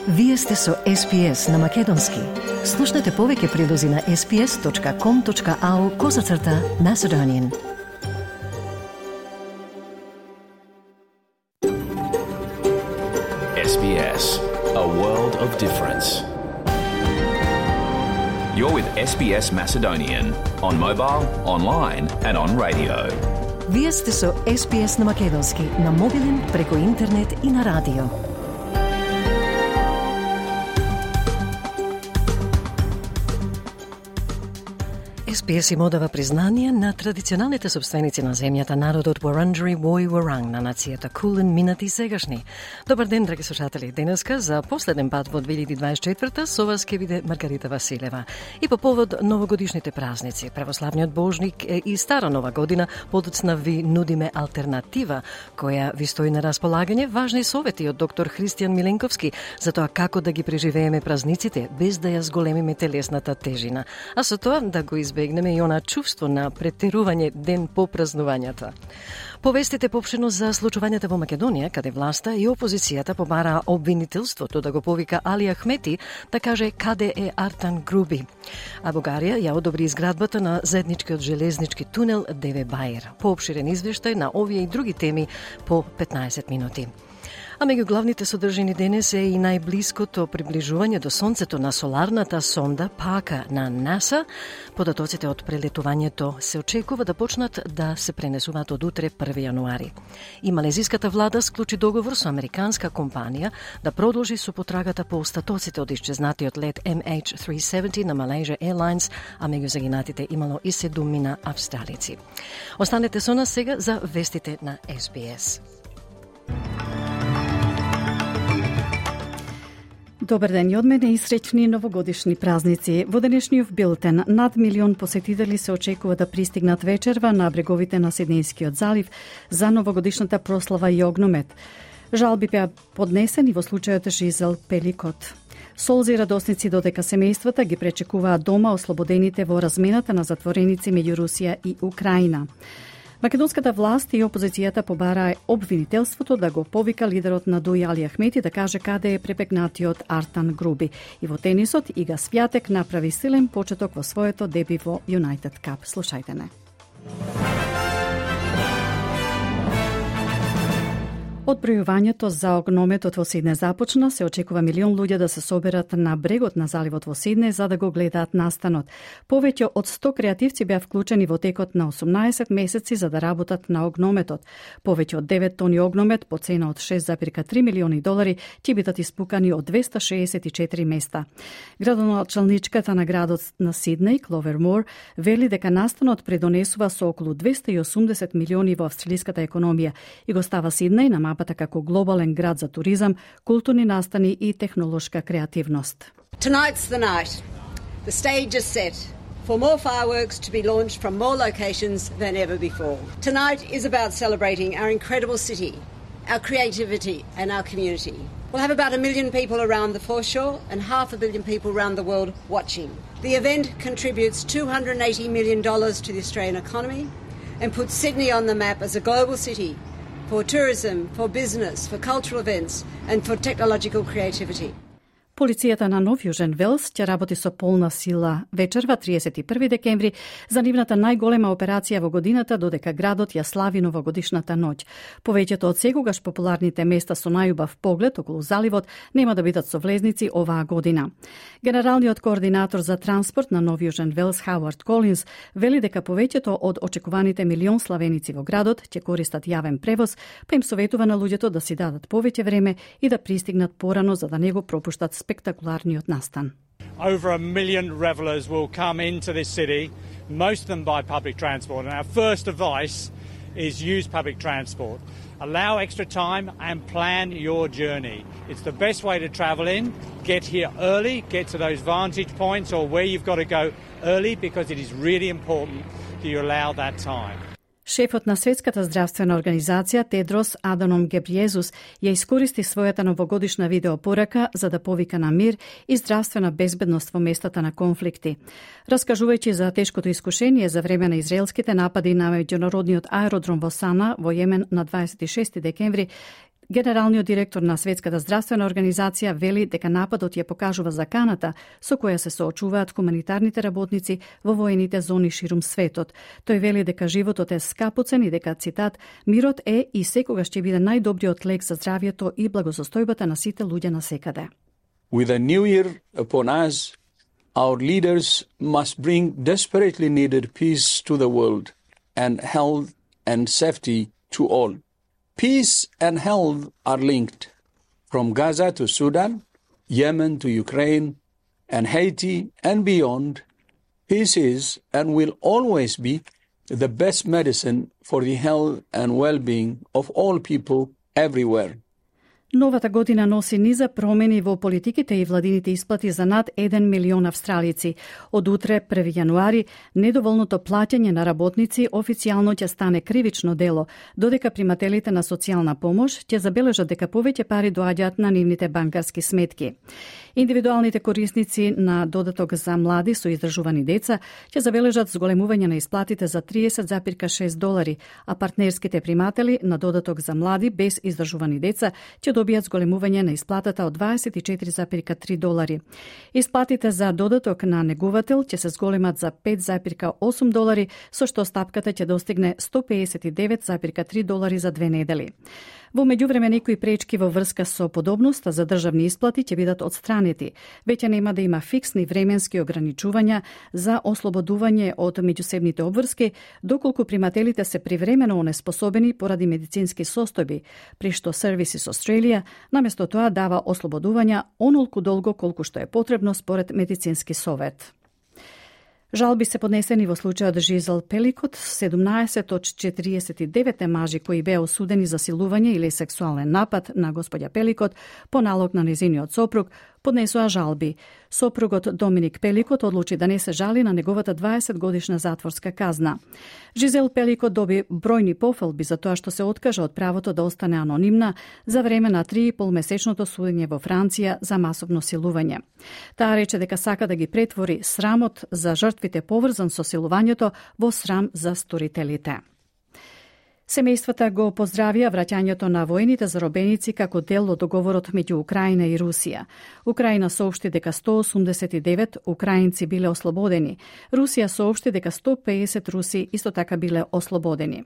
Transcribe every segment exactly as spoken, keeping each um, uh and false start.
Вие сте со Ес Би Ес на Македонски. Слушнете повеќе прилози на ес би ес точка ком точка ау козацрта Macedonian. Ес Би Ес, a world of difference. You're with Ес Би Ес Macedonian on mobile, online and on radio. Вие сте со Ес Би Ес на Македонски, на мобилен, преку интернет и на радио. Ес Би Ес им одава признание на традиционалните собственици на земјата, народот Вуранџери Вој Вуранг, на нацијата Кулен, минати и сегашни. Добар ден, драги слушатели. Денеска за последен пат во две илјади дваесет и четврта со вас ќе биде Маргарита Василева. И по повод новогодишните празници, православниот Божник и стара нова година, подоцна ви нудиме алтернатива која ви стои на располагање, важни совети од доктор Христијан Миленковски за тоа како да ги преживееме празниците без да ја зголемиме телесната тежина, а со тоа да го избегнеме и она чувство на претерување ден по празнувањата. Повестите поопштено за случувањата во Македонија, каде власта и опозицијата побараа обвинителството да го повика Али Ахмети да каже каде е Артан Груби. А Бугарија ја одобри изградбата на заедничкиот железнички тунел Деве Бајер. Поопширен извештај на овие и други теми по петнаесет минути. А меѓу главните содржини денес е и најблиското приближување до Сонцето на соларната сонда Пака на НАСА. Податоците од прелетувањето се очекува да почнат да се пренесуваат од утре први јануари. И малезиската влада склучи договор со американска компанија да продолжи со потрагата по остатоците од исчезнатиот лет Ем Еич триста и седумдесет на Malaysia Airlines, а меѓу загинатите имало и седумина австралици. Останете со нас сега за вестите на Ес Би Ес. Добар ден и од мене и среќни новогодишни празници. Во денешниот билтен над милион посетители се очекува да пристигнат вечерва на бреговите на Сиднејскиот залив за новогодишната прослава и огномет. Жалби беа поднесени во случајот Жизел Пеликот. Солзи радосници додека семејствата ги пречекуваат дома ослободените во размената на затвореници меѓу Русија и Украина. Македонската власт и опозицијата побараа обвинителството да го повика лидерот на Дуј Али Ахмети да каже каде е пребегнатиот Артан Груби. И во тенисот Ига Свјатек направи силен почеток во своето деби во Юнайтед Кап. Слушајте не. Одбројувањето за огнометот во Сидне започна, се очекува милион луѓе да се соберат на брегот на заливот во Сидне за да го гледаат настанот. Повеќе од сто креативци беа вклучени во текот на осумнаесет месеци за да работат на огнометот. Повеќе од девет тони огномет по цена од шест зарез три милиони долари ќе бидат испукани од двеста шеесет и четири места. Градоначалничката на градот на Сиднеј, Кловер Мор, вели дека настанот предонесува со околу двеста и осумдесет милиони во австралиската економија и го става Сиднеј на мапата како глобален град за туризам, културни настани и технолошка креативност. Tonight's the night. The stage is set for more fireworks to be launched from more locations than ever before. Tonight is about celebrating our incredible city, our creativity and our community. We'll have about a million people around the foreshore and half a billion people around the world watching. The event contributes two hundred eighty million dollars to the Australian economy and puts Sydney on the map as a global city for tourism, for business, for cultural events and for technological creativity. Полицијата на Нов Јужен Велс ќе работи со полна сила вечерва триесет и први декември за нивната најголема операција во годината додека градот ја слави новогодишната ноќ. Повеќето од секогаш популарните места со најубав поглед околу заливот нема да бидат со влезници оваа година. Генералниот координатор за транспорт на Нов Јужен Велс Хауард Колинс вели дека повеќето од очекуваните милион славеници во градот ќе користат јавен превоз, па им советува на луѓето да си дадат повеќе време и да пристигнат порано за да не го пропуштат спектакуларниот настан. Over a million revelers will come into this city, most of them by public transport. And our first advice is use public transport. Allow extra time and plan your journey. It's the best way to travel in. Get here early, get to those vantage points or where you've got to go early because it is really important that you allow that time. Шефот на Светската здравствена организација Тедрос Аданом Гебриезус ја искористи својата новогодишна видеопорака за да повика на мир и здравствена безбедност во местата на конфликти. Раскажувајќи за тешкото искушение за време на израелските напади на меѓународниот аеродром во Сана во Јемен на дваесет и шести декември, Генералниот директор на Светската здравствена организација вели дека нападот ја покажува заканата со која се соочуваат хуманитарните работници во воените зони ширум светот. Тој вели дека животот е скапоцен и дека, цитат, мирот е и секогаш ќе биде најдобриот лек за здравјето и благосостојбата на сите луѓе насекаде. With a new year upon us, our leaders must bring desperately needed peace to the world and health and safety to all. Peace and health are linked. From Gaza to Sudan, Yemen to Ukraine, and Haiti and beyond, peace is and will always be the best medicine for the health and well-being of all people everywhere. Новата година носи низа промени во политиките и владините исплати за над еден милион австралици. Од утре, први јануари, недоволното плаќање на работници официјално ќе стане кривично дело, додека примателите на социјална помош ќе забележат дека повеќе пари доаѓаат на нивните банкарски сметки. Индивидуалните корисници на додаток за млади со издржувани деца ќе забележат зголемување на исплатите за триесет зарез шест долари, а партнерските приматели на додаток за млади без издржувани деца ќе добијат зголемување на исплатата од дваесет и четири зарез три долари. Исплатите за додаток на негувател ќе се зголемат за пет зарез осум долари, со што стапката ќе достигне сто педесет и девет зарез три долари за две недели. Во меѓувреме некои пречки во врска со подобноста за државни исплати ќе бидат отстранети. Веќе нема да има фиксни временски ограничувања за ослободување од меѓусебните обврски, доколку примателите се привремено онеспособени поради медицински состојби, при што Services Australia наместо тоа дава ослободувања онолку долго колку што е потребно според медицински совет. Жалби се поднесени во случајот Жизел Пеликот, седумнаесет од четириесет и девет мажи кои беа осудени за силување или сексуален напад на господја Пеликот по налог на незиниот сопруг, поднесоа жалби. Сопругот Доминик Пеликот одлучи да не се жали на неговата дваесет годишна затворска казна. Жизел Пеликот доби бројни пофалби за тоа што се откажа од правото да остане анонимна за време на три и пол месечното судење во Франција за масовно силување. Таа рече дека сака да ги претвори срамот за жртвите поврзан со силувањето во срам за сторителите. Семејствата го поздравија враќањето на воените заробеници како дел од договорот меѓу Украина и Русија. Украина соопшти дека сто осумдесет и девет украинци биле ослободени. Русија соопшти дека сто педесет руси исто така биле ослободени.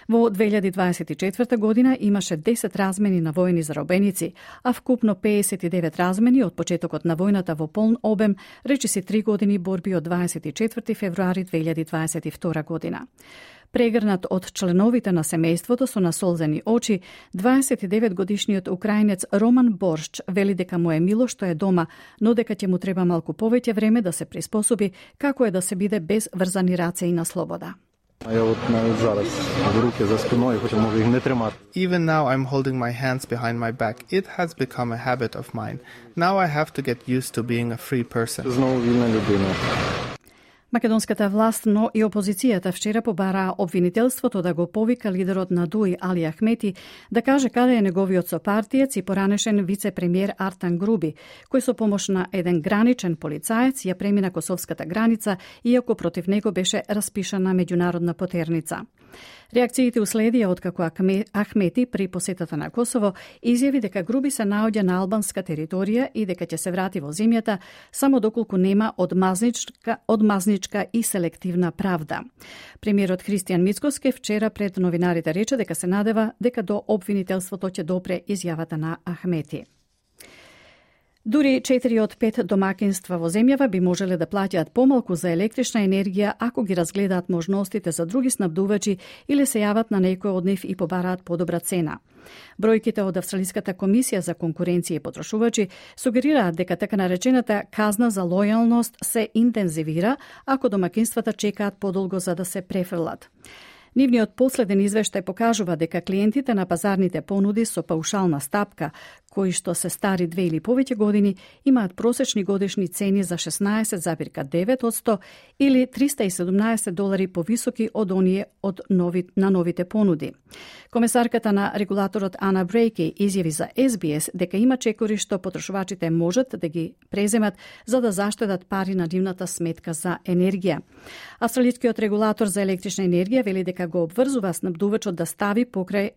Во две илјади дваесет и четврта година имаше десет размени на воени заробеници, а вкупно педесет и девет размени од почетокот на војната во полн обем, речиси три години борби од дваесет и четврти февруари две илјади дваесет и втора година. Прегрнат од членовите на семејството со насолзени очи, дваесет и девет годишниот украинец Роман Боршч вели дека му е мило што е дома, но дека ќе му треба малку повеќе време да се приспособи како е да се биде без врзани раце и на слобода. Even now I'm holding my hands behind my back. It has become a habit of mine. Now I have to get used to being a free person. Македонската власт, но и опозицијата вчера побараа обвинителството да го повика лидерот на ДУИ Али Ахмети да каже каде е неговиот сопартиец и поранешен вице-премиер Артан Груби, кој со помош на еден граничен полицаец ја премина косовската граница, иако против него беше распишана меѓународна потерница. Реакциите уследија откако Ахмети при посетата на Косово изјави дека Груби се наоѓа на албанска територија и дека ќе се врати во земјата само доколку нема одмазничка, одмазничка и селективна правда. Премиерот Христијан Мицкоски вчера пред новинарите рече дека се надева дека до обвинителството ќе допре изјавата на Ахмети. Дури четири од пет домакинства во земјава би можеле да плаќаат помалку за електрична енергија ако ги разгледаат можностите за други снабдувачи или се јават на некој од нив и побараат подобра цена. Бројките од Австралиската комисија за конкуренција и потрошувачи сугерираат дека така наречената казна за лојалност се интензивира ако домакинствата чекаат подолго за да се префрлат. Нивниот последен извештај покажува дека клиентите на пазарните понуди со паушална стапка, кои што се стари две или повеќе години, имаат просечни годишни цени за шеснаесет зарез девет одсто или триста и седумнаесет долари повисоки од оние од нови, на новите понуди. Комесарката на регулаторот Ана Брейки изјави за Ес Би Ес дека има чекори што потрошувачите можат да ги преземат за да заштедат пари на нивната сметка за енергија. Австралискиот регулатор за електрична енергија вели дека го обврзува снабдувачот да стави покрај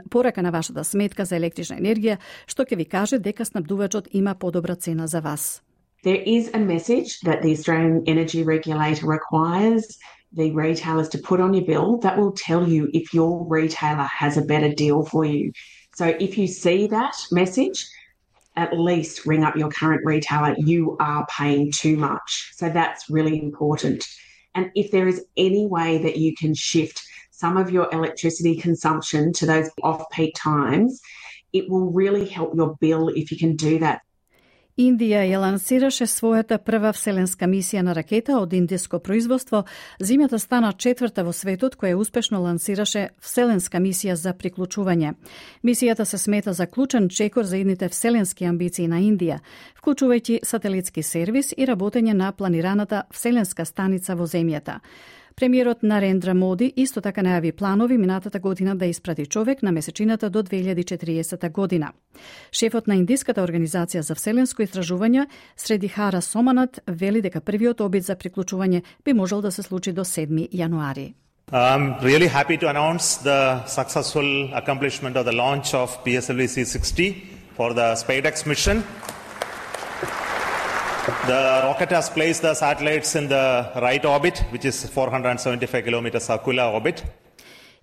порака на вашата сметка за електрична енергија, што ќе ви каже дека снабдувачот има подобра цена за вас. There is a message that the Australian Energy Regulator requires the retailers to put on your bill that will tell you if your retailer has a better deal for you. So if you see that message, at least ring up your current retailer. You are paying too much. So that's really important. And if there is any way that you can shift some of your electricity consumption to those off-peak times, it will really help your bill if you can do that. Индија ја лансираше својата прва вселенска мисија на ракета од индиско производство. Земјата стана четврта во светот која успешно лансираше вселенска мисија за приклучување. Мисијата се смета за клучен чекор за идните вселенски амбиции на Индија, вклучувајќи сателитски сервис и работење на планираната вселенска станица во земјата. Премиерот Нарендра Моди исто така најави планови минатата година да испрати човек на месечината до две илјади и четириесета година. Шефот на Индиската организација за вселенско истражување Средихара Соманат вели дека првиот обид за приклучување би можел да се случи до седми јануари. I'm really happy to announce the successful accomplishment of the launch of P S L V C sixty for the SpaceX mission. The rocket has placed the satellites in the right orbit, which is four hundred seventy-five kilometer circular orbit.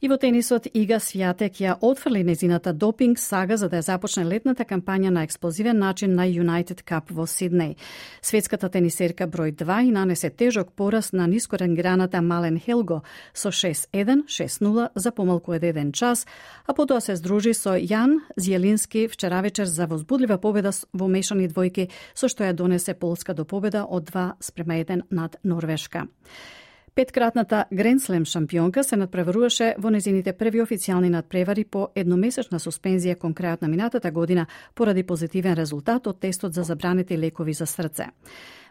И во тенисот Ига Свјатек ја отфрли незината допинг сага за да ја започне летната кампања на експлозивен начин на United Cup во Сиднеј. Светската тенисерка број два и нанесе тежок пораз на нискорангираната Мален Хелго со шест еден шест нула за помалку од еден час, а потоа се здружи со Јан Зјелински вчера вечер за возбудлива победа во мешани двојки, со што ја донесе Полска до победа од два спрема еден над Норвешка. Петкратната Гренслем шампионка се надпреваруваше во незините први официјални надпревари по едномесечна суспензија кон крајот на минатата година поради позитивен резултат од тестот за забранети лекови за срце.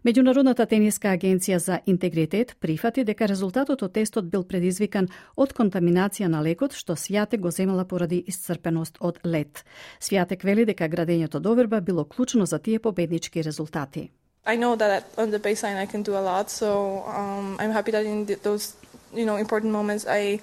Меѓународната тениска агенција за интегритет прифати дека резултатот од тестот бил предизвикан од контаминација на лекот што Свјатек го земала поради исцрпеност од лед. Свјатек вели дека градењето доверба било клучно за тие победнички резултати. I know that on the baseline I can do a lot, so um, I'm happy that in th- those, you know, important moments I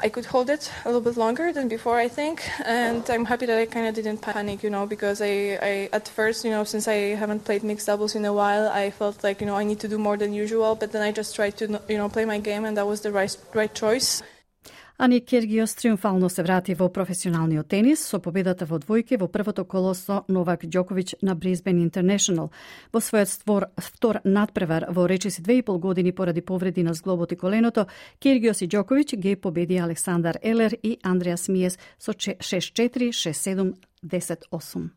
I could hold it a little bit longer than before, I think, and I'm happy that I kind of didn't panic, you know, because I, I at first, you know, since I haven't played mixed doubles in a while, I felt like, you know, I need to do more than usual, but then I just tried to, you know, play my game, and that was the right right choice. Ани Киргиос триумфално се врати во професионалниот тенис со победата во двојки во првото коло со Новак Ѓоковиќ на Брисбен Интернешнл. Во својот створ, втор надпревар во речиси две и пол години поради повреди на зглобот и коленото, Киргиос и Ѓоковиќ ги победи Александар Елер и Андреас Миес со шест четири, шест седум, десет осум.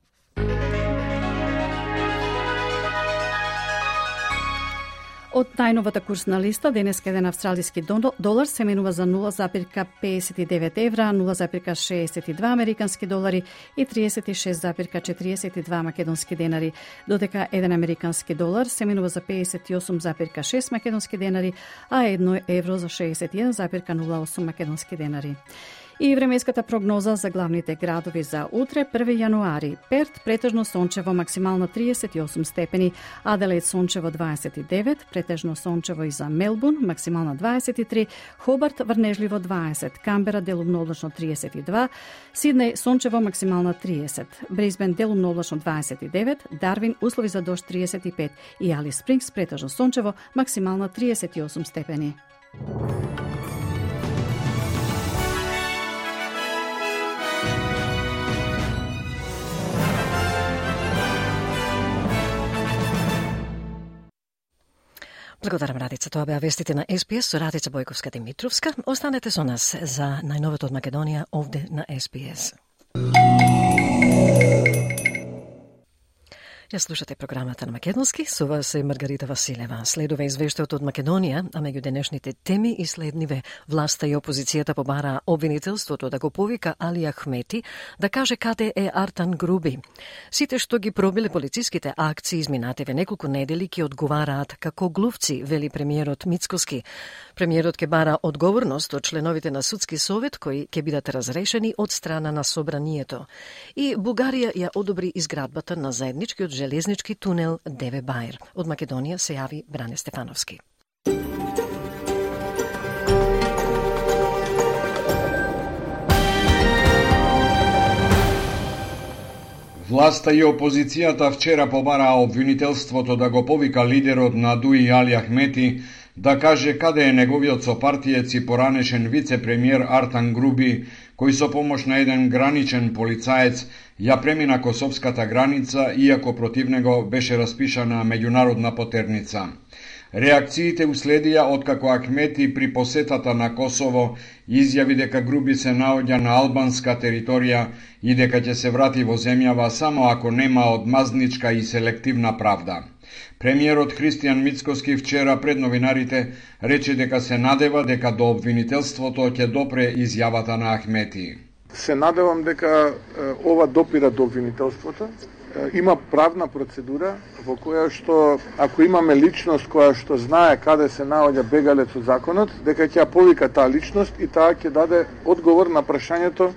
Од најновата курсна листа, денеска еден австралиски долар се менува за нула запирка педесет и девет евра, нула запирка шеесет и два американски долари и триесет и шест запирка четириесет и два македонски денари, додека еден американски долар се менува за педесет и осум запирка шест македонски денари, а едно евро за шеесет и еден запирка нула осум македонски денари. И временската прогноза за главните градови за утре, први јануари. Перт претежно сончево, максимално триесет и осум степени, Аделаид сончево дваесет и девет, претежно сончево и за Мелбурн, максимално дваесет и три, Хобарт врнежливо дваесет, Камбера делумно облачно триесет и два, Сиднеј сончево максимално триесет, Брисбен делумно облачно дваесет и девет, Дарвин услови за дожд триесет и пет и Алис Спрингс претежно сончево, максимално триесет и осум степени. Благодарам, Радица. Тоа беа вестите на Ес Би Ес со Радица Бојковска-Димитровска. Останете со нас за најновото од Македонија овде на Ес Би Ес. Ја слушате програмата на Македонски, со вас е Маргарита Василева. Следува извештајот од Македонија, а меѓу денешните теми и следниве власта и опозицијата побараа обвинителството да го повика Али Ахмети да каже каде е Артан Груби. Сите што ги пробиле полициските акции изминативе неколку недели ќе одговараат како глувци, вели премиерот Мицкоски. Премиерот ќе бара одговорност од членовите на судски совет кои ќе бидат разрешени од страна на собранието. И Бугарија ја одобри изградбата на заедничкиот железнички тунел Деве Бајр. Од Македонија се јави Бране Стефановски. Власта и опозицијата вчера побараа обвинителството да го повика лидерот на Дуи Али Ахмети да каже каде е неговиот сопартиец и поранешен вице-премиер Артан Груби, кој со помош на еден граничен полицаец ја премина косовската граница, иако против него беше распишана меѓународна потерница. Реакциите уследија откако Ахмети при посетата на Косово изјави дека Груби се наоѓа на албанска територија и дека ќе се врати во земјава само ако нема одмазничка и селективна правда. Премиерот Христијан Мицкоски вчера пред новинарите рече дека се надева дека до обвинителството ќе допре изјавата на Ахмети. Се надевам дека е, ова допира до обвинителството. Е, има правна процедура во која што ако имаме личност која што знае каде се наоѓа бегалец од законот, дека ќе ја повика таа личност и таа ќе даде одговор на прашањето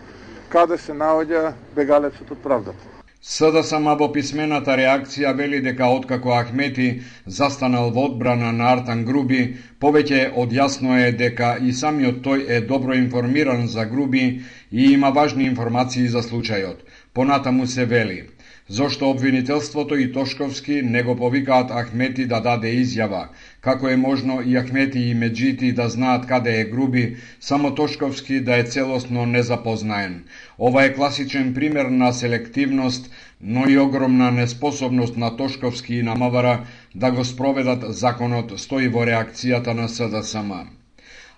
каде се наоѓа бегалецот од правдата. СДСМ во писмената реакција вели дека откако Ахмети застанал во одбрана на Артан Груби, повеќе одјасно е дека и самиот тој е добро информиран за Груби и има важни информации за случајот. Понатаму се вели: зошто обвинителството и Тошковски не го повикаат Ахмети да даде изјава, како е можно и Ахмети и Меджити да знаат каде е Груби, само Тошковски да е целосно незапознаен. Ова е класичен пример на селективност, но и огромна неспособност на Тошковски и на МВР да го спроведат законот, стои во реакцијата на СДСМ.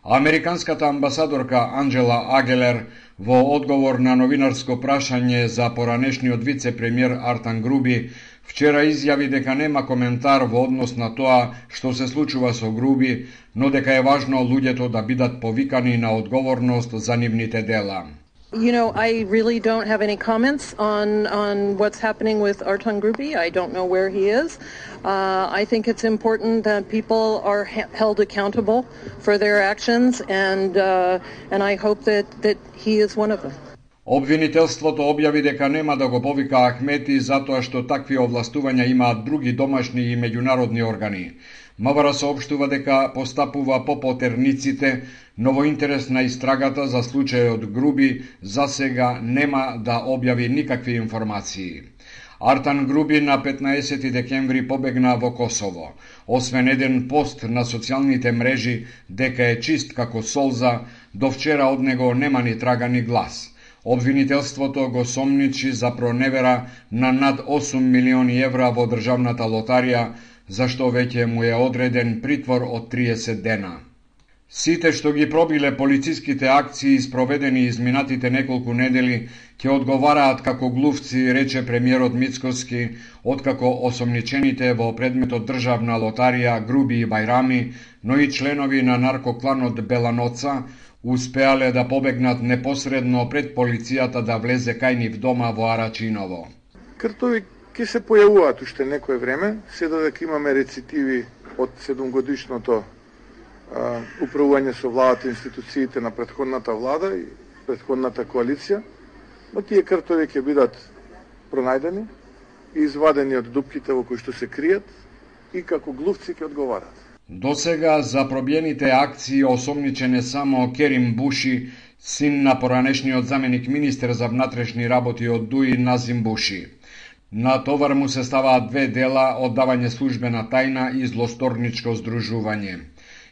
Американската амбасадорка Анджела Агелер во одговор на новинарско прашање за поранешниот вице-премиер Артан Груби вчера изјави дека нема коментар во однос на тоа што се случува со Груби, но дека е важно луѓето да бидат повикани на одговорност за нивните дела. You know, I really don't have any comments on, on what's happening with Artan Grubi. I don't know where he is. Uh, I think it's important that people are ha- held accountable for their actions, and uh, and I hope that, that he is one of them. Обвинителството објави дека нема да го повика Ахмети затоа што такви овластувања имаат други домашни и меѓународни органи. МВР соопштува дека постапува по потерниците, но во интерес на истрагата за случајот Груби за сега нема да објави никакви информации. Артан Груби на петнаесети декември побегна во Косово. Освен еден пост на социјалните мрежи дека е чист како солза, до вчера од него нема ни трага ни глас. Обвинителството го сомничи за проневера на над осум милиони евра во државната лотарија, зашто веќе му е одреден притвор од триесет дена. Сите што ги пробиле полициските акции спроведени изминатите неколку недели ќе одговараат како глувци, рече премиерот Мицкоски, откако осомничените во предметот државна лотарија Груби и Бајрами, но и членови на наркокланот Беланоца успеале да побегнат непосредно пред полицијата да влезе кај нив дома во Арачиново. Кртови ќе се појавуваат уште некое време, се додека имаме рецитиви од седумгодишното а, управување со владата и институциите на претходната влада и претходната коалиција, но тие кртови ќе бидат пронајдени и извадени од дупките во кои што се кријат и како глувци ќе одговарат. До сега за пробиените акции осомничен е само Керим Буши, син на поранешниот заменик министер за внатрешни работи од Дуи Назим Буши. На товар му се ставаат две дела, оддавање службена тајна и злосторничко здружување.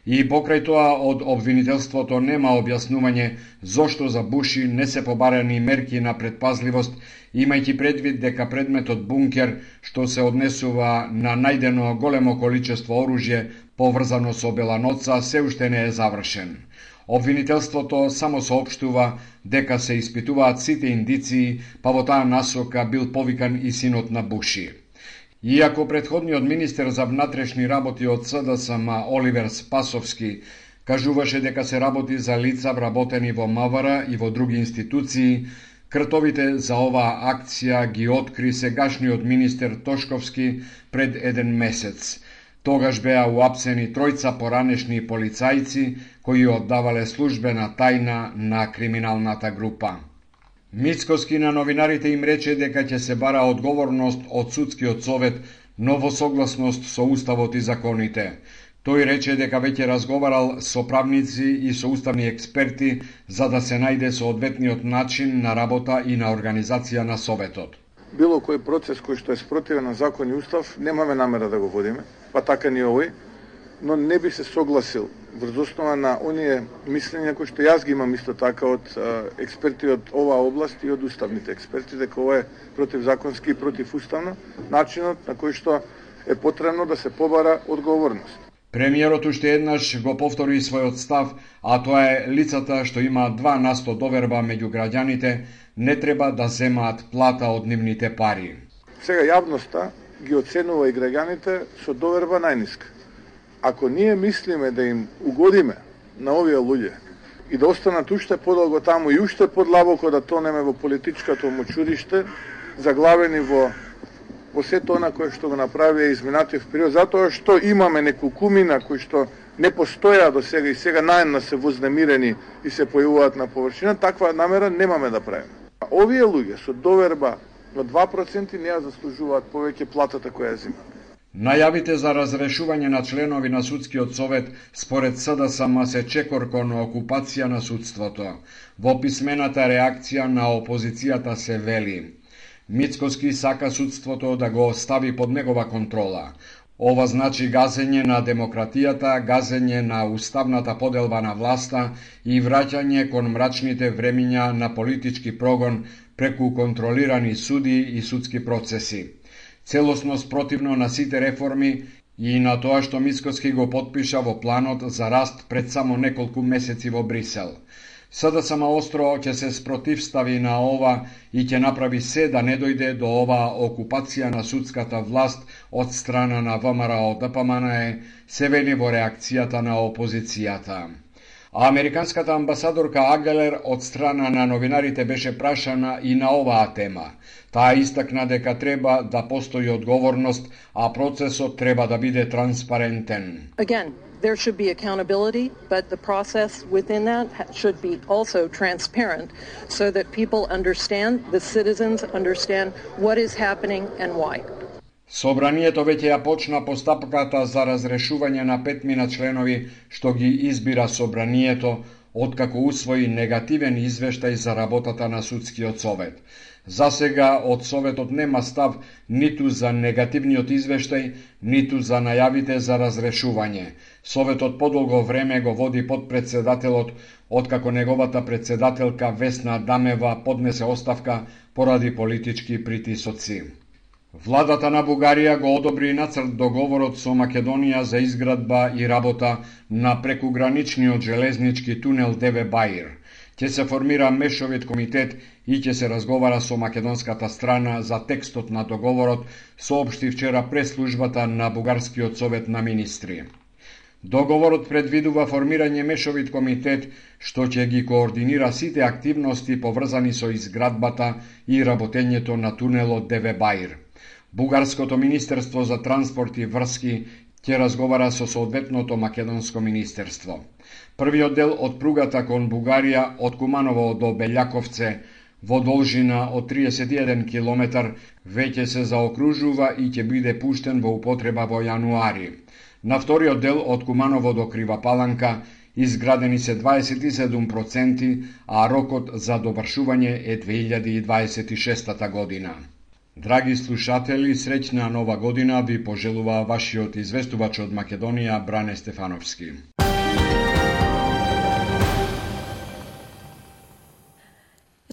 И покрај тоа од обвинителството нема објаснување зошто за Буши не се побарани мерки на предпазливост, имајќи предвид дека предметот бункер, што се однесува на најдено големо количество оружје поврзано со Беланоца, се уште не е завршен. Обвинителството само соопштува дека се испитуваат сите индиции, па во таа насока бил повикан и синот на Буши. Иако претходниот министер за внатрешни работи од СДСМ Оливер Спасовски кажуваше дека се работи за лица вработени во МВР и во други институции, кртовите за оваа акција ги откри сегашниот министер Тошковски пред еден месец. Тогаш беа уапсени тројца поранешни полицајци кои оддавале службена тајна на криминалната група. Мицкоски на новинарите им рече дека ќе се бара одговорност од судскиот совет, но во согласност со уставот и законите. Тој рече дека веќе разговарал со правници и со уставни експерти за да се најде соодветниот начин на работа и на организација на советот. било кој процес кој што е спротивен на закон и устав, немаме намера да го водиме, па така ни овој, но не би се согласил врз основа на оние мислења кои што јас ги имам исто така од а, експерти од оваа област и од уставните експерти, дека ова е противзаконски и противуставно начинот на кој што е потребно да се побара одговорност. Премиерот уште еднаш го повтори својот став, а тоа е лицата што има два на сто доверба меѓу граѓаните не треба да земаат плата од нивните пари. Сега јавноста ги оценува и граѓаните со доверба најниска. Ако ние мислиме да им угодиме на овие луѓе и да останат уште подолго таму и уште подлабоко да тонеме во политичкото мочуриште, заглавени во во сето она кое што го направија изминатиот период, затоа што имаме неколку кумина кои што не постоја до сега и сега наедна се вознемирени и се појавуваат на површина, таква намера немаме да правиме. Овие луѓе со доверба од два проценти не ја заслужуваат повеќе платата која ја земат. Најавите за разрешување на членови на судскиот совет според СДСМ се чекор кон окупација на судството. Во писмената реакција на опозицијата се вели: Мицкоски сака судството да го стави под негова контрола. Ова значи газење на демократијата, газење на уставната поделба на власта и враќање кон мрачните времиња на политички прогон преку контролирани суди и судски процеси. Целосно спротивно на сите реформи и на тоа што Мицкоски го потпиша во планот за раст пред само неколку месеци во Брисел. СДСМ остро ќе се спротивстави на ова и ќе направи се да не дојде до оваа окупација на судската власт од страна на ВМРО Д П М Н Е, се вели во реакцијата на опозицијата. А американската амбасадорка Агелер од страна на новинарите беше прашана и на оваа тема. Таа истакна дека треба да постои одговорност, а процесот треба да биде транспарентен. Again, there should be accountability, but the process within that should be also transparent so that people understand, the citizens understand what is happening and why. Собранието веќе ја почна постапката за разрешување на петмина членови што ги избира Собранието, откако усвои негативен извештај за работата на судскиот совет. За сега од Советот нема став ниту за негативниот извештај, ниту за најавите за разрешување. Советот подолго време го води подпредседателот, откако неговата председателка Весна Адамева поднесе оставка поради политички притисоци. Владата на Бугарија го одобри нацрт договорот со Македонија за изградба и работа на прекуграничниот железнички тунел Деве Баир. Ќе се формира мешовит комитет и ќе се разговара со македонската страна за текстот на договорот, соопшти вчера преслужбата на Бугарскиот совет на министри. Договорот предвидува формирање мешовит комитет што ќе ги координира сите активности поврзани со изградбата и работењето на тунелот Деве Баир. Бугарското министерство за транспорт и врски ќе разговара со соодветното македонско министерство. Првиот дел од пругата кон Бугарија од Куманово до Белјаковце во должина од триесет и еден километар веќе се заокружува и ќе биде пуштен во употреба во јануари. На вториот дел од Куманово до Крива Паланка изградени се дваесет и седум проценти, а рокот за довршување е две илјади и дваесет и шеста година. Драги слушатели, среќна нова година ви пожелува вашиот известувач од Македонија Бране Стефановски.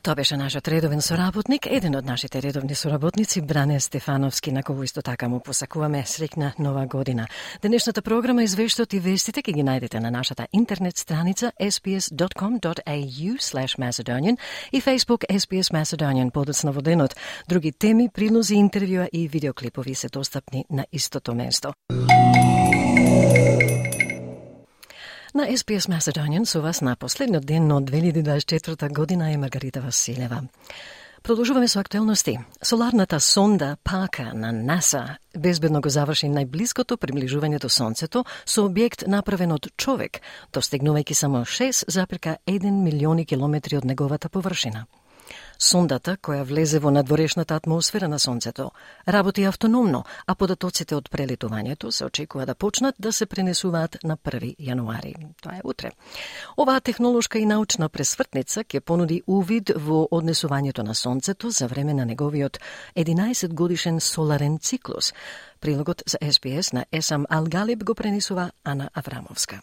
Тоа беше нашиот редовен соработник, еден од нашите редовни соработници, Бране Стефановски, на кој исто така му посакуваме среќна нова година. Денешната програма, извештот и вестите ќе ги најдете на нашата интернет страница ес би ес дот ком дот ей ю слеш Macedonian и Facebook ес би ес Macedonian подоцна во денот. Други теми, прилози, интервјуа и видеоклипови се достапни на истото место. На ес би ес Macedonian со вас на последниот ден од две илјади дваесет и четврта година е Маргарита Василева. Продолжуваме со актуелности. Соларната сонда Паркер на НАСА безбедно го заврши најблиското приближување до Сонцето со објект направен од човек, достигнувајќи само шест зарез еден милиони километри од неговата површина. Сондата, која влезе во надворешната атмосфера на Сонцето, работи автономно, а податоците од прелетувањето се очекува да почнат да се пренесуваат на први јануари. Тоа е утре. Оваа технолошка и научна пресвртница ќе понуди увид во однесувањето на Сонцето за време на неговиот единаесет годишен соларен циклус. Прилогот за Ес Би Ес на Есам Алгалиб го пренесува Ана Аврамовска.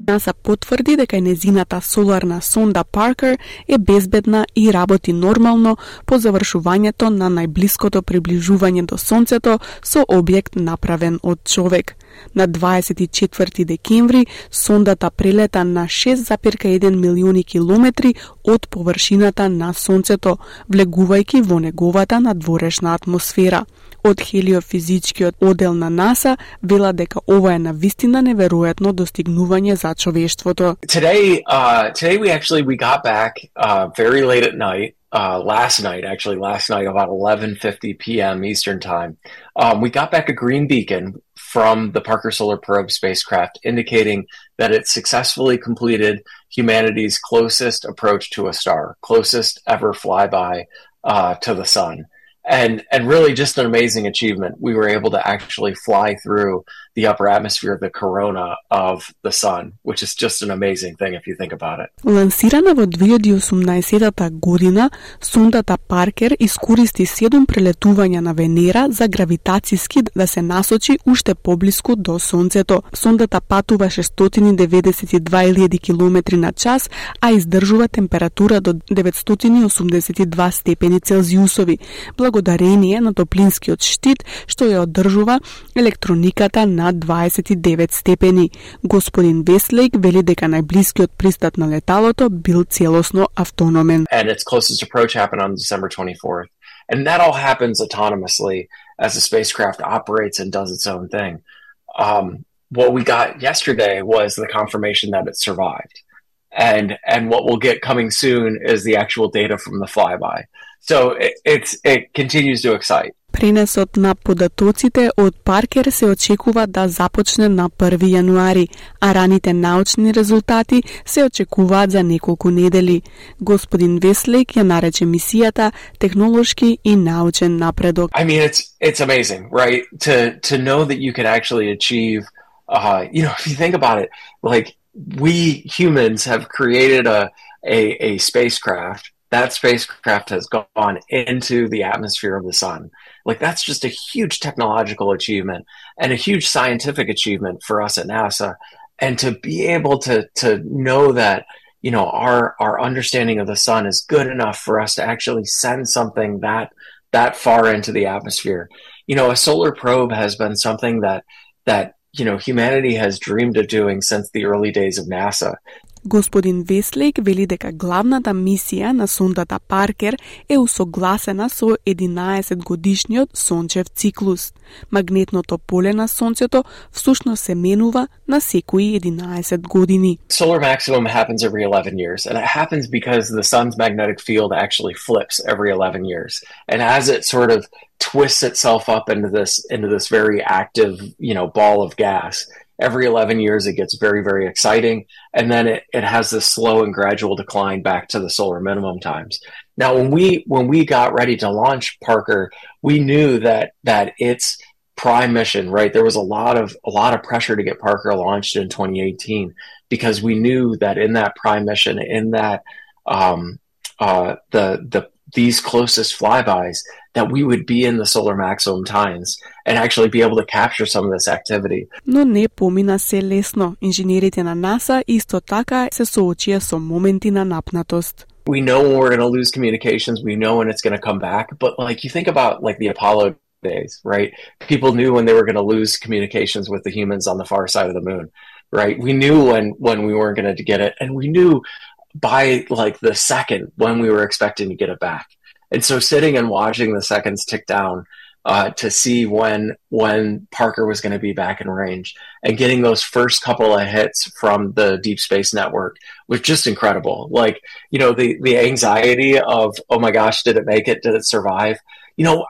НАСА потврди дека незината соларна сонда Паркер е безбедна и работи нормално по завршувањето на најблиското приближување до Сонцето со објект направен од човек. На дваесет и четврти декември сондата прелета на шест зарез еден милиони километри од површината на Сонцето, влегувајќи во неговата надворешна атмосфера. Од хелиофизичкиот оддел на НАСА вела дека ова е навистина неверојатно достигнување за човештвото. Today, uh, today we actually we got back uh, very late at night. Uh, last night, actually, last night about eleven fifty p.m. Eastern Time, um, we got back a green beacon from the Parker Solar Probe spacecraft, indicating that it successfully completed humanity's closest approach to a star, closest ever flyby uh, to the sun. And and really just an amazing achievement. We were able to actually fly through the upper atmosphere, the corona of the sun, which is just an amazing thing if you think about it. Лансирана во две илјади и осумнаесетта година, сондата Паркер искористи седум прелетувања на Венера за гравитацијски да се насочи уште поблиску до Сонцето. Сондата патува шестстотини деветдесет и две илјади километри на час, а издржува температура до деветстотини осумдесет и два степени Целзиусови, благодарение на топлинскиот штит што ја одржува електрониката на дваесет и девет степени. Господин Вестлейк вели дека најблискиот пристат на леталото бил целосно автономен. And its closest approach happened on December twenty-fourth. And that all happens autonomously as the spacecraft operates and does its own thing. Um, what we got yesterday was the confirmation that it survived. And and what we'll get coming soon is the actual data from the flyby. So it, it's it continues to excite. Пренесот на податоците од Паркер се очекува да започне на први јануари, а раните научни резултати се очекуваат за неколку недели. Господин Вестлейк ја нарече мисијата технолошки и научен напредок. I mean, it's it's amazing, right? To to know that you can actually achieve, uh, you know, if you think about it, like we humans have created a a, a spacecraft. That spacecraft has gone into the atmosphere of the sun. Like that's just a huge technological achievement and a huge scientific achievement for us at NASA. And to be able to to know that, you know, our our understanding of the sun is good enough for us to actually send something that that far into the atmosphere. You know, a solar probe has been something that that you know humanity has dreamed of doing since the early days of NASA. Господин Вестлейк вели дека главната мисија на сондата Паркер е усогласена со единаесет годишниот сончев циклус. Магнетното поле на Сонцето всушност се менува на секои единаесет години. Solar maximum happens every eleven years, and it happens because the sun's magnetic field actually flips every eleven years. And as it sort of twists itself up into this into this very active, you know, ball of gas, every eleven years it gets very, very exciting, and then it, it has this slow and gradual decline back to the solar minimum times. Now, when we when we got ready to launch Parker, we knew that that its prime mission, right, there was a lot of a lot of pressure to get Parker launched in twenty eighteen because we knew that in that prime mission, in that um, uh, the the these closest flybys, that we would be in the solar maximum times and actually be able to capture some of this activity. Но не помина се лесно. Инженерите на НАСА исто така се соочија со моменти на напнатост. We know when we're going to lose communications, we know when it's going to come back, but like you think about like the Apollo days, right? People knew when they were going to lose communications with the humans on the far side of the moon, right? We knew when when we weren't going to get it, and we knew by like the second when we were expecting to get it back. And so sitting and watching the seconds tick down uh, to see when when Parker was going to be back in range and getting those first couple of hits from the Deep Space Network was just incredible. Like, you know, the, the anxiety of, oh my gosh, did it make it? Did it survive? you know,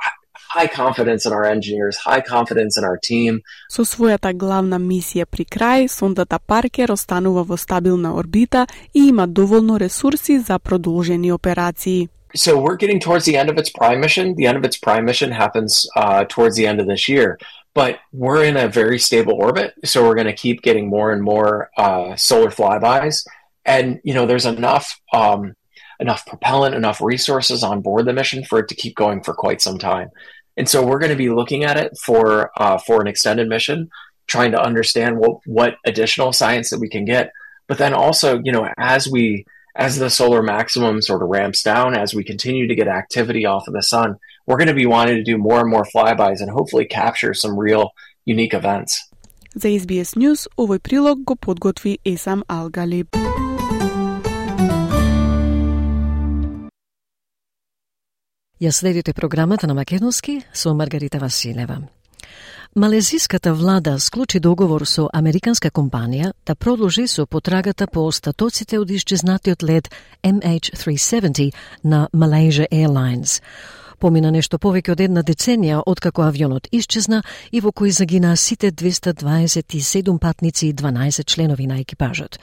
high confidence in our engineers, high confidence in our team. Со својата главна мисија при крај, сондата Паркер останува во стабилна орбита и има доволно ресурси за продолжени операции. So we're getting towards the end of its prime mission. The end of its prime mission happens uh, towards the end of this year. But we're in a very stable orbit, so we're going to keep getting more and more uh, solar flybys. And, you know, there's enough um, enough propellant, enough resources on board the mission for it to keep going for quite some time. And so we're going to be looking at it for uh, for an extended mission, trying to understand what, what additional science that we can get. But then also, you know, as we as the solar maximum sort of ramps down, as we continue to get activity off of the sun, we're going to be wanting to do more and more flybys and hopefully capture some real unique events. За Ес Би Ес News овој прилог го подготви Есам Алгалиб. Ја следите програмата на македонски со Маргарита Василева. Малезиската влада склучи договор со американска компанија да продолжи со потрагата по остатоците од исчезнатиот лет Ем Ейч триста седумдесет на Malaysia Airlines. Помина нешто повеќе од една деценија откако авионот исчезна и во кој загинаа сите двеста дваесет и седум патници и дванаесет членови на екипажот.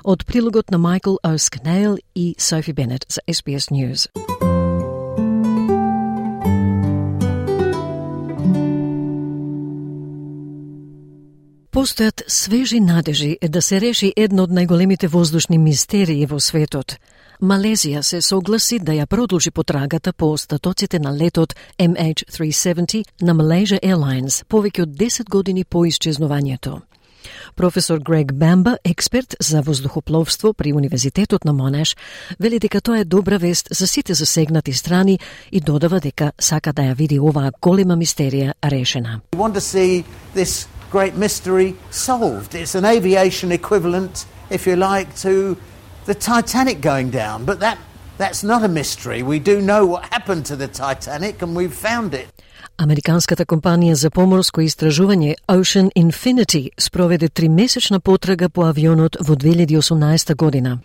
Од прилогот на Майкл О'Скнейл и Софи Бенет за Ес Би Ес News. Постојат свежи надежи да се реши едно од најголемите воздушни мистерии во светот. Малезија се согласи да ја продолжи потрагата по остатоците на летот Ем Ейч триста седумдесет на Malaysia Airlines повеќе од десет години по исчезнувањето. Професор Грег Бамба, експерт за воздухопловство при Универзитетот на Монеш, вели дека тоа е добра вест за сите засегнати страни и додава дека сака да ја види оваа голема мистерија решена. We want to see this great mystery solved. It's an aviation equivalent, if you like, to the Titanic going down, but that that's not a mystery. We do know what happened to the Titanic and we've found it. Американската компанија за поморско истражување Ocean Infinity спроведе тримесечна потрага по авионот во две илјади и осумнаесета година.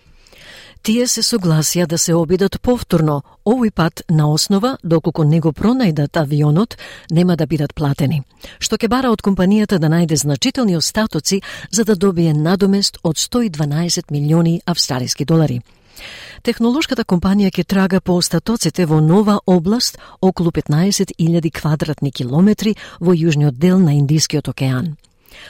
Тие се согласија да се обидат повторно, овој пат на основа доколку не го пронајдат авионот, нема да бидат платени, што ќе бара од компанијата да најде значителни остатоци за да добие надомест од сто и дванаесет милиони австралиски долари. Технолошката компанија ќе трага по остатоците во нова област околу петнаесет илјади квадратни километри во јужниот дел на Индискиот океан.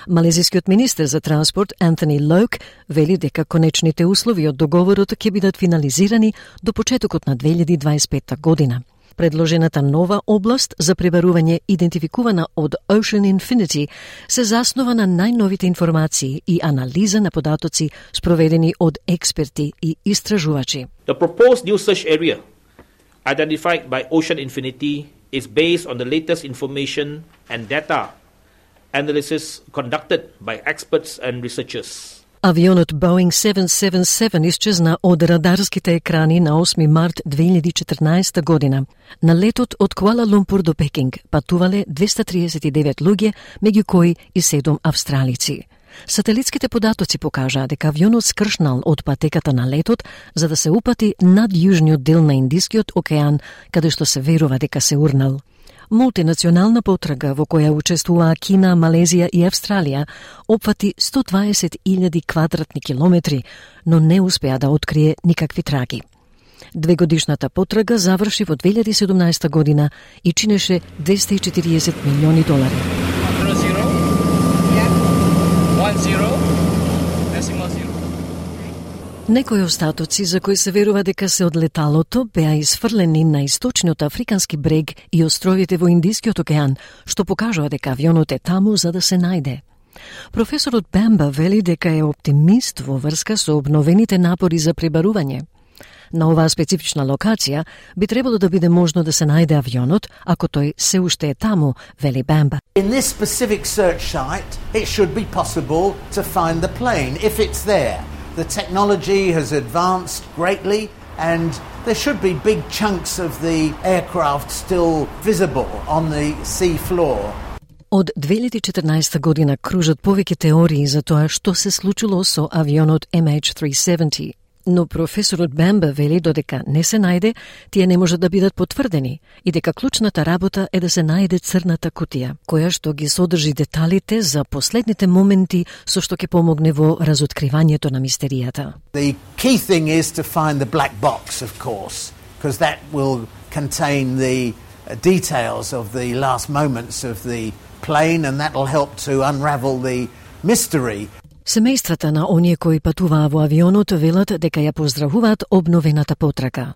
Малезискиот министер за транспорт Антони Лоук вели дека конечните услови од договорот ќе бидат финализирани до почетокот на две илјади дваесет и петта година. Предложената нова област за пребарување идентификувана од Ocean Infinity се заснова на најновите информации и анализа на податоци спроведени од експерти и истражувачи. The proposed new search area identified by Ocean Infinity is based on the latest information and data analysis conducted by experts and researchers. Авионот Boeing седумстотини седумдесет и седум исчезна од радарските екрани на осми март две илјади и четрнаесета година. На летот од Куала Лумпур до Пекинг патувале двеста триесет и девет луѓе, меѓу кои и седум австралици. Сателитските податоци покажаа дека авионот скршнал од патеката на летот за да се упати над јужниот дел на Индискиот океан, каде што се верува дека се урнал. Мултинационална потрага во која учествуваа Кина, Малезија и Австралија опфати сто дваесет илјади квадратни километри, но не успеа да открие никакви траги. Двегодишната потрага заврши во две илјади и седумнаесета година и чинеше двеста и четириесет милиони долари. Некои остатоци за кои се верува дека се од леталото беа изфрлени на источниот африкански брег и островите во Индискиот океан, што покажува дека авионот е таму за да се најде. Професорот Бамба вели дека е оптимист во врска со обновените напори за пребарување. На оваа специфична локација би требало да биде можно да се најде авионот, ако тој се уште е таму, вели Бамба. In this specific search site, it should be possible to find the plane if it's there. The technology has advanced greatly and there should be big chunks of the aircraft still visible on the sea floor. Од две илјади и четрнаесета година кружат повеќе теории за тоа што се случило со авионот Ем Ейч триста седумдесет. Но професорот Бемба вели додека не се најде, тие не можат да бидат потврдени и дека клучната работа е да се најде црната кутија, која што ги содржи деталите за последните моменти со што ќе помогне во разоткривањето на мистеријата. The key thing is to find the black box, of course, because that will contain the details of the last moments of the plane and that will help to unravel the mystery. Семејствата на оние кои патуваа во авионот велат дека ја поздравуваат обновената потрага.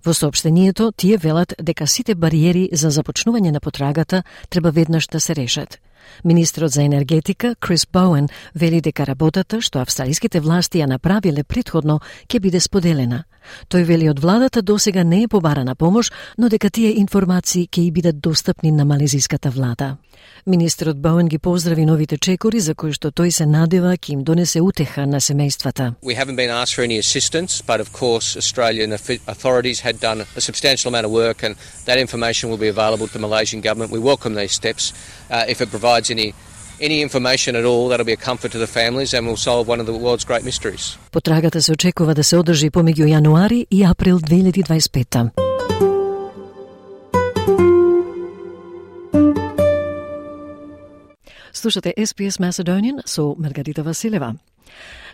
Во соопштението тие велат дека сите бариери за започнување на потрагата треба веднаш да се решат. Министрот за енергетика Крис Боуен вели дека работата што австралиските власти ја направиле претходно ќе биде споделена. Тој вели од владата досега не е побарана помош, но дека тие информации ќе и бидат достапни на малезиската влада. Министрот Боуен ги поздрави новите чекори за кои што тој се надева ќе им донесе утеха на семејствата. We haven't been asked for any assistance, but of course Australian authorities had done a substantial amount of work and that information will be available to the Malaysian government. We welcome these steps. Uh, if it provides any any information at all, that'll be a comfort to the families and will solve one of the world's great mysteries. Потрагата се очекува да се одржи помеѓу јануари и април две илјади дваесет и пета. Слушате Ес Би Ес Macedonian со Маргарита Василева.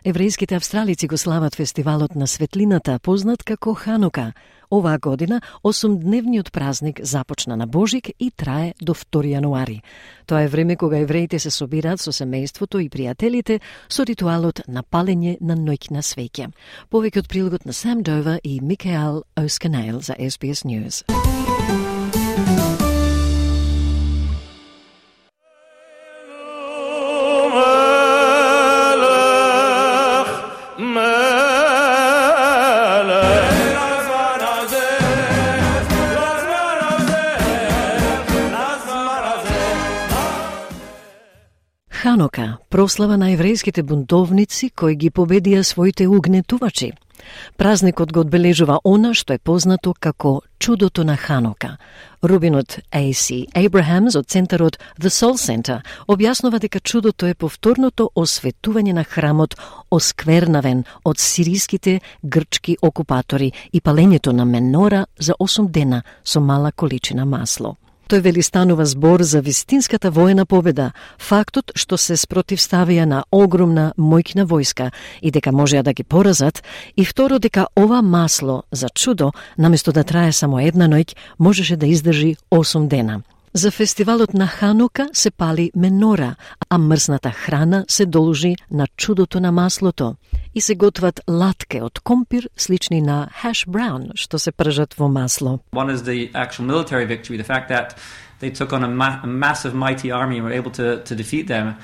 Еврејските австралици го слават фестивалот на светлината, познат како Ханука. Оваа година осумдневниот празник започна на Божик и трае до втори јануари. Тоа е време кога евреите се собираат со семејството и пријателите со ритуалот на палење на ноќна свеќа. Повеќе од прилогот на Сам Дова и Микаел Осканейл за Ес Би Ес News. Ханука, прослава на еврејските бунтовници кои ги победија своите угнетувачи. Празникот го одбележува она што е познато како чудото на Ханука. Рубинот А Си Абрахамс од центарот The Soul Center објаснува дека чудото е повторното осветување на храмот осквернавен од сириските грчки окупатори и палењето на менора за осум дена со мала количина масло. Тој вели станува збор за вистинската воена победа, фактот што се спротивставија на огромна мојкна војска и дека можеа да ги поразат, и второ дека ова масло за чудо, наместо да трае само една ноќ, можеше да издржи осум дена. За фестивалот на Ханука се пали менора, а мрсната храна се должи на чудото на маслото и се готват латке од компир слични на hash brown, што се пржат во масло. One is the actual military victory, the fact that they took on a, ma- a massive mighty army and were able to, to defeat them.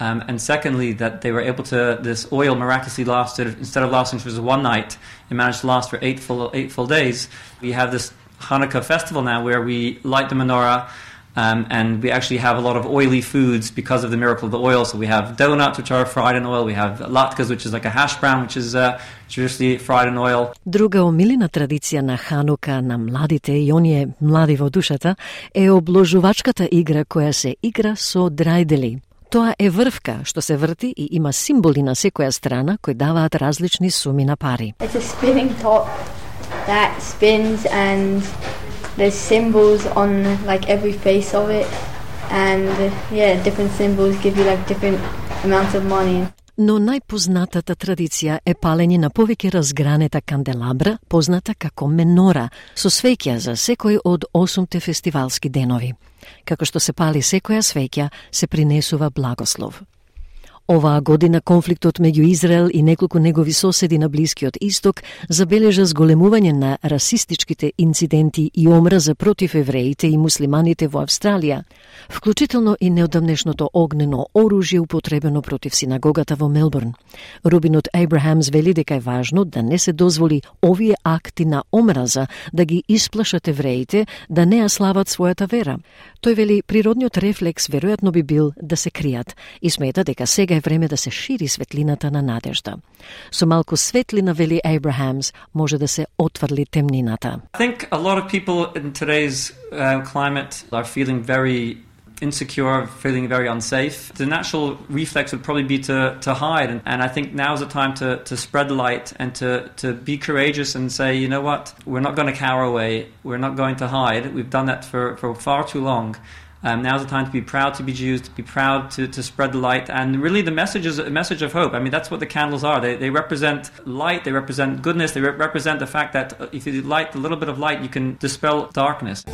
Um, and secondly, that they were able to, this oil miraculously lasted, instead of lasting for just one night, it managed to last for eight full, eight full days. We have this Hanukkah festival now where we light the menorah. Um, and we actually have a lot of oily foods because of the miracle of the oil. So we have donuts, which are fried in oil. We have latkes, which is like a hash brown, which is uh, traditionally fried in oil. Друга омилена традиција на Ханука на младите и оние млади во душата е обложувачката игра која се игра со драјдели. Тоа е врвка што се врти и има символи на секоја страна кои даваат различни суми на пари. It's a spinning top that spins and there's symbols on like every face of it, and yeah, different symbols give you like different amounts of money. Но најпознатата традиција е палење на повеќе разгранета канделабра, позната како менора, со свеќа за секој од осумте фестивалски денови. Како што се пали секоја свеќа, се принесува благослов. Оваа година конфликтот меѓу Израел и неколку негови соседи на Блискиот Исток забележа зголемување на расистичките инциденти и омраза против евреите и муслиманите во Австралија, вклучително и неодамнешното огнено оружје употребено против синагогата во Мелбурн. Рубинот Абрахамс вели дека е важно да не се дозволи овие акти на омраза да ги исплашат евреите да не ја слават својата вера. Тој вели природниот рефлекс веројатно би бил да се кријат и смета дека сега е време да се шири светлината на надежда. Со малку светлина, вели Абрахамс, може да се отврли темнината. I think a lot of people in today's uh, climate are feeling very insecure, feeling very unsafe, the natural reflex would probably be to, to hide. And, and I think now's the time to, to spread light and to, to be courageous and say, you know what, we're not going to cower away, we're not going to hide. We've done that for, for far too long. Um, now's the time to be proud to be Jews, to be proud to, to spread the light. And really the message is a message of hope. I mean, that's what the candles are. They, they represent light, they represent goodness, they re- represent the fact that if you light a little bit of light, you can dispel darkness.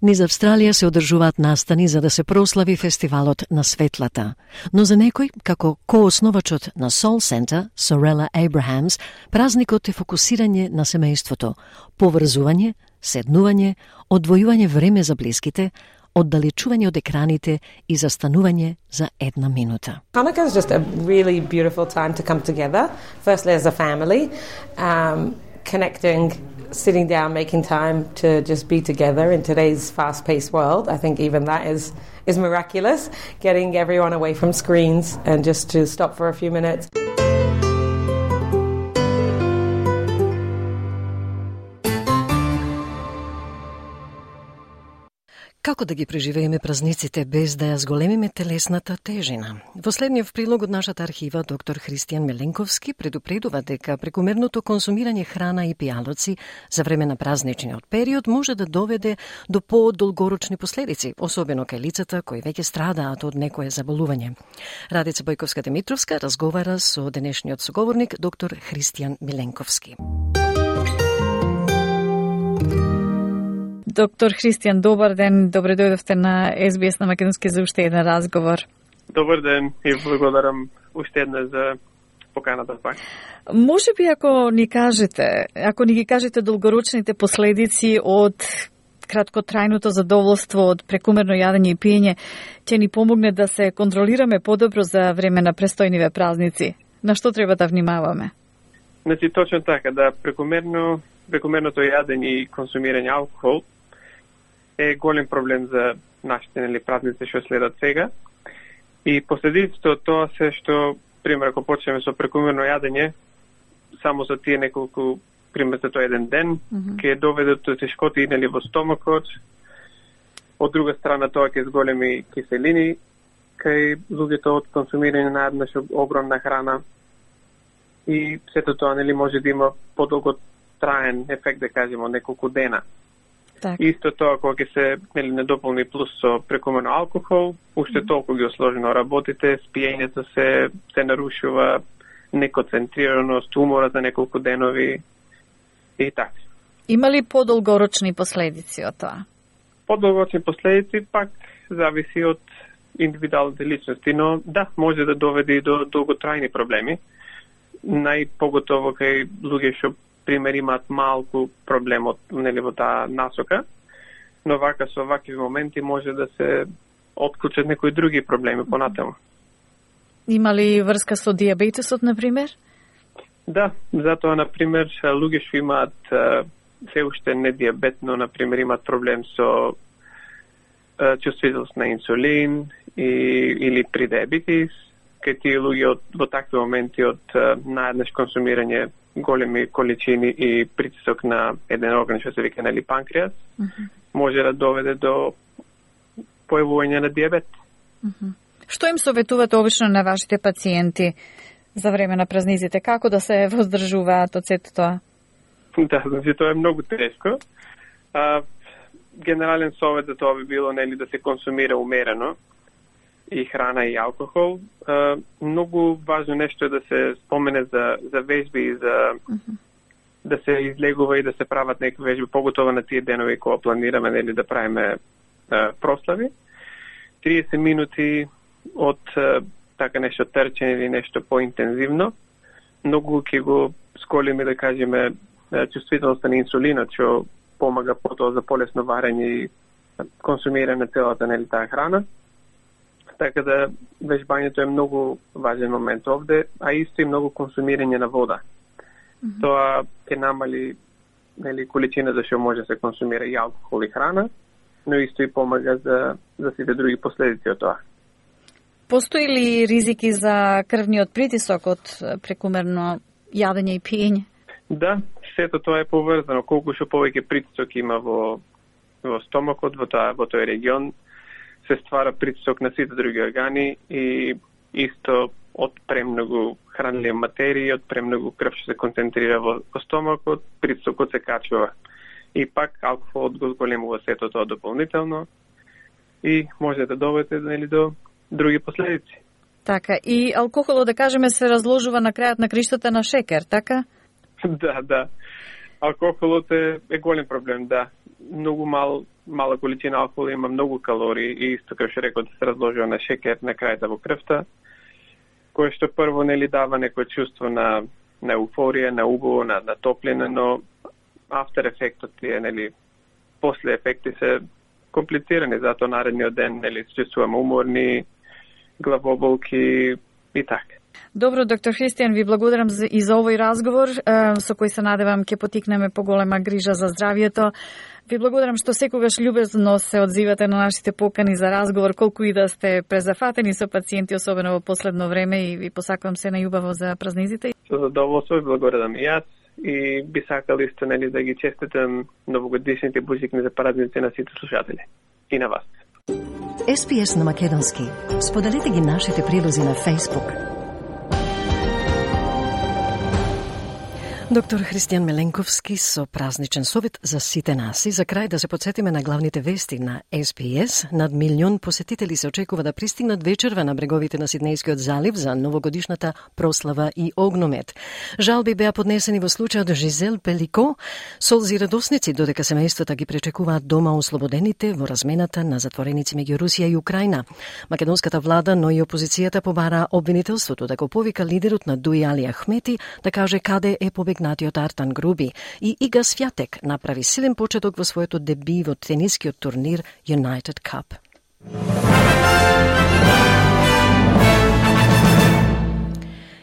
Низ Австралија се одржуваат настани за да се прослави фестивалот на светлата. Но за некој, како коосновачот на Soul Center, Sorella Abrahams, празникот е фокусирање на семејството, поврзување, седнување, одвојување време за блиските, оддалечување од екраните и застанување за една минута. Hanukkah is just a really beautiful time to come together, firstly as a family, um, connecting, sitting down, making time to just be together in today's fast-paced world. I think even that is is miraculous, getting everyone away from screens and just to stop for a few minutes. Како да ги преживееме празниците без да ја зголемиме телесната тежина? Во следниот прилог од нашата архива, доктор Христијан Миленковски предупредува дека прекомерното консумирање храна и пијалоци за време на празничниот период може да доведе до подолгорочни последици, особено кај лицата кои веќе страдаат од некое заболување. Радица Бојковска-Димитровска разговара со денешниот соговорник, доктор Христијан Миленковски. Доктор Христијан, добар ден, добре дојдовте на Ес Би Ес на Македонски за уште еден разговор. Добар ден и благодарам уште една за поканата пак. Може би ако ни кажете, ако ни ги кажете долгорочните последици од краткотрајното задоволство од прекумерно јадење и пиење, ќе ни помогне да се контролираме подобро за време на престојниве празници. На што треба да внимаваме? Значи, точно така, да прекумерно, прекумерното јадење и консумирање алкохол е голем проблем за нашите нели празници што следат сега. И последиците од тоа се што, пример, ако почнеме со прекумерно јадење, само за тие неколку, пример, за тоа еден ден, mm-hmm. ќе доведе до тешкоти нели во стомакот. Од друга страна, тоа ќе зголеми киселини кај луѓето од консумирање на еднаш огромна храна. И сето тоа нели може да има подолго траен ефект, да кажеме, неколку дена. Так. Исто тоа кога ќе се нели недополни плюс со прекомерно алкохол, уште mm-hmm. толку ги осложено работите, спиењето се се нарушува, неконцентрираност, умора за неколку денови и така. Има ли подолгорочни последици од тоа? Подолгорочни последици пак зависи од индивидуалните личности, но да, може да доведе и до долготрајни проблеми. Најпоготово кај луѓе што пример имаат малку проблем од нели во таа насока, но вака со вакви моменти може да се отклучат некои други проблеми понатаму. Има ли врска со диабетесот, на пример? Да, затоа, на пример, луѓе што имаат се уште не диабет, но, на пример, имаат проблем со чувствителност на инсулин и, или при диабетис, кај тие луѓе од, во такви моменти од наеднаш консумирање големи количини и притисок на еден орган што се вика нели панкреас, mm-hmm. може да доведе до појавување на диабет. Mm-hmm. Што им советувате обично на вашите пациенти за време на празниците? Како да се воздржуваат од сето тоа? Да, значи тоа е многу тешко. А, генерален совет за тоа би било нели да се консумира умерено и храна и алкохол. А, многу важно нешто е да се спомене за, за вежби и за mm-hmm. да се излегува и да се прават некои вежби, поготово на тие денови кога планираме нели да правиме а, прослави. триесет минути од а, така нешто трчење или нешто поинтензивно. Многу ќе го сколиме, да кажеме, чувствителноста на инсулинот, што помага потоа за полесно варење и консумирање на целата нели таа храна. Така да вежбањето е многу важен момент овде, а исто и многу консумирање на вода. Mm-hmm. Тоа ќе намали нели количина за што може да се консумира и алкохол и храна, но исто и помага за за сите други последици од тоа. Постои ли ризики за крвниот притисок од прекумерно јадење и пиење? Да, сето тоа е поврзано. Колку што повеќе притисок има во во стомакот, во тоа во тој регион, се ствара притисок на сите други органи и исто од премногу хранливи материи, од премногу крв што се концентрира во, во стомакот, притисокот се качува. И пак алкохолот го зголемува сето тоа дополнително и може да доведе нели до други последици. Така, и алкохолот, да кажеме, се разложува на крајот на криштата на шекер, така? Да, да. Алкохолот е, е голем проблем, да. Многу мал, мала количина алкохол има многу калории и исто како што реков да се разложува на шекер на крајата во крвта, кој што прво нели дава некој чувство на на еуфорија, на убаво, на, на топлина, но афтер ефектот е нели после ефекти се комплицирани, затоа наредниот ден нели се чувствуваме уморни, главоболки и така. Добро, доктор Христијан, ви благодарам за, и за овој разговор, е, со кој се надевам ќе потикнеме поголема грижа за здравието. Ви благодарам што секогаш љубезно се одзивате на нашите покани за разговор, колку и да сте презафатени со пациенти, особено во последно време, и ви посакувам се најубаво за празниците. Со задоволство ви благодарам и јас и би сакал исто нели да ги честитам новогодишните божикни за празници на сите слушатели и на вас. Ес Пи Ес на македонски. Споделете ги нашите прилози на Facebook. Доктор Христијан Меленковски со празничен совет за сите нас. И за крај да се подсетиме на главните вести на Ес Пи Ес. Над милион посетители се очекува да пристигнат вечерва на бреговите на Сиднејскиот залив за новогодишната прослава и огномет. Жалби беа поднесени во случајот Жизел Пелико, солзи и радосници, додека семејствата ги пречекуваат дома ослободените во размената на затвореници меѓу Русија и Украина. Македонската влада, но и опозицијата побара обвинителството да го повика лидерот на Дуи Али Ахмети да каже каде е побегнатиот Артан Груби, и Ига Свјатек направи силен почеток во своето деби во тенискиот турнир United Cup.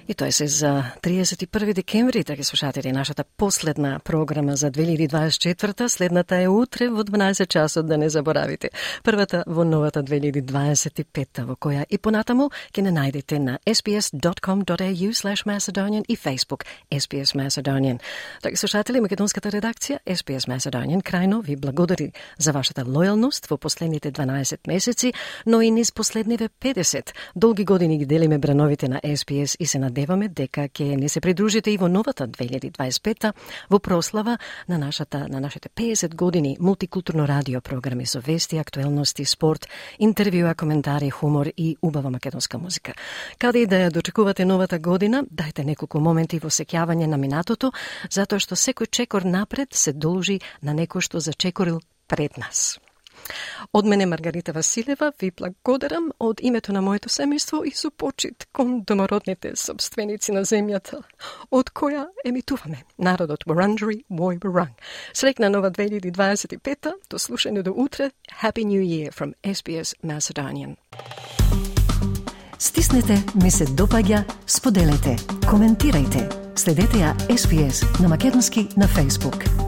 И тоа се за триесет и први декември, драги слушатели, нашата последна програма за две илјади дваесет и четврта. Следната е утре во дванаесет часот, да не заборавите. Првата во новата две илјади дваесет и петта, во која и понатаму ќе не најдете на ес би ес дот ком дот ей ю слеш Macedonian и Facebook Ес Би Ес Macedonian. Драги слушатели, македонската редакција Ес Би Ес Macedonian крајно ви благодари за вашата лојалност во последните дванаесет месеци, но и низ последниве педесет. Долги години ги делиме брановите на Ес Би Ес и се надеваме дека ќе не се придружите и во новата две илјади дваесет и петта во прослава на нашата на нашите педесет години мултикултурно радио програми со вести, актуелности, спорт, интервјуа, коментари, хумор и убава македонска музика. Каде и да ја дочекувате новата година, дајте неколку моменти во сеќавање на минатото, затоа што секој чекор напред се должи на некој што зачекорил пред нас. Од мене Маргарита Василева ви благодарам од името на моето семејство и со почит кон домородните собственици на земјата, од која емитуваме народот Wurundjeri Woi Wurrung. Среќна нова две илјади дваесет и петта, до слушање до утре. Happy New Year from Ес Би Ес Macedonian. Стиснете, ми се допаѓа, споделете, коментирајте. Следете ја Ес Би Ес на македонски на Facebook.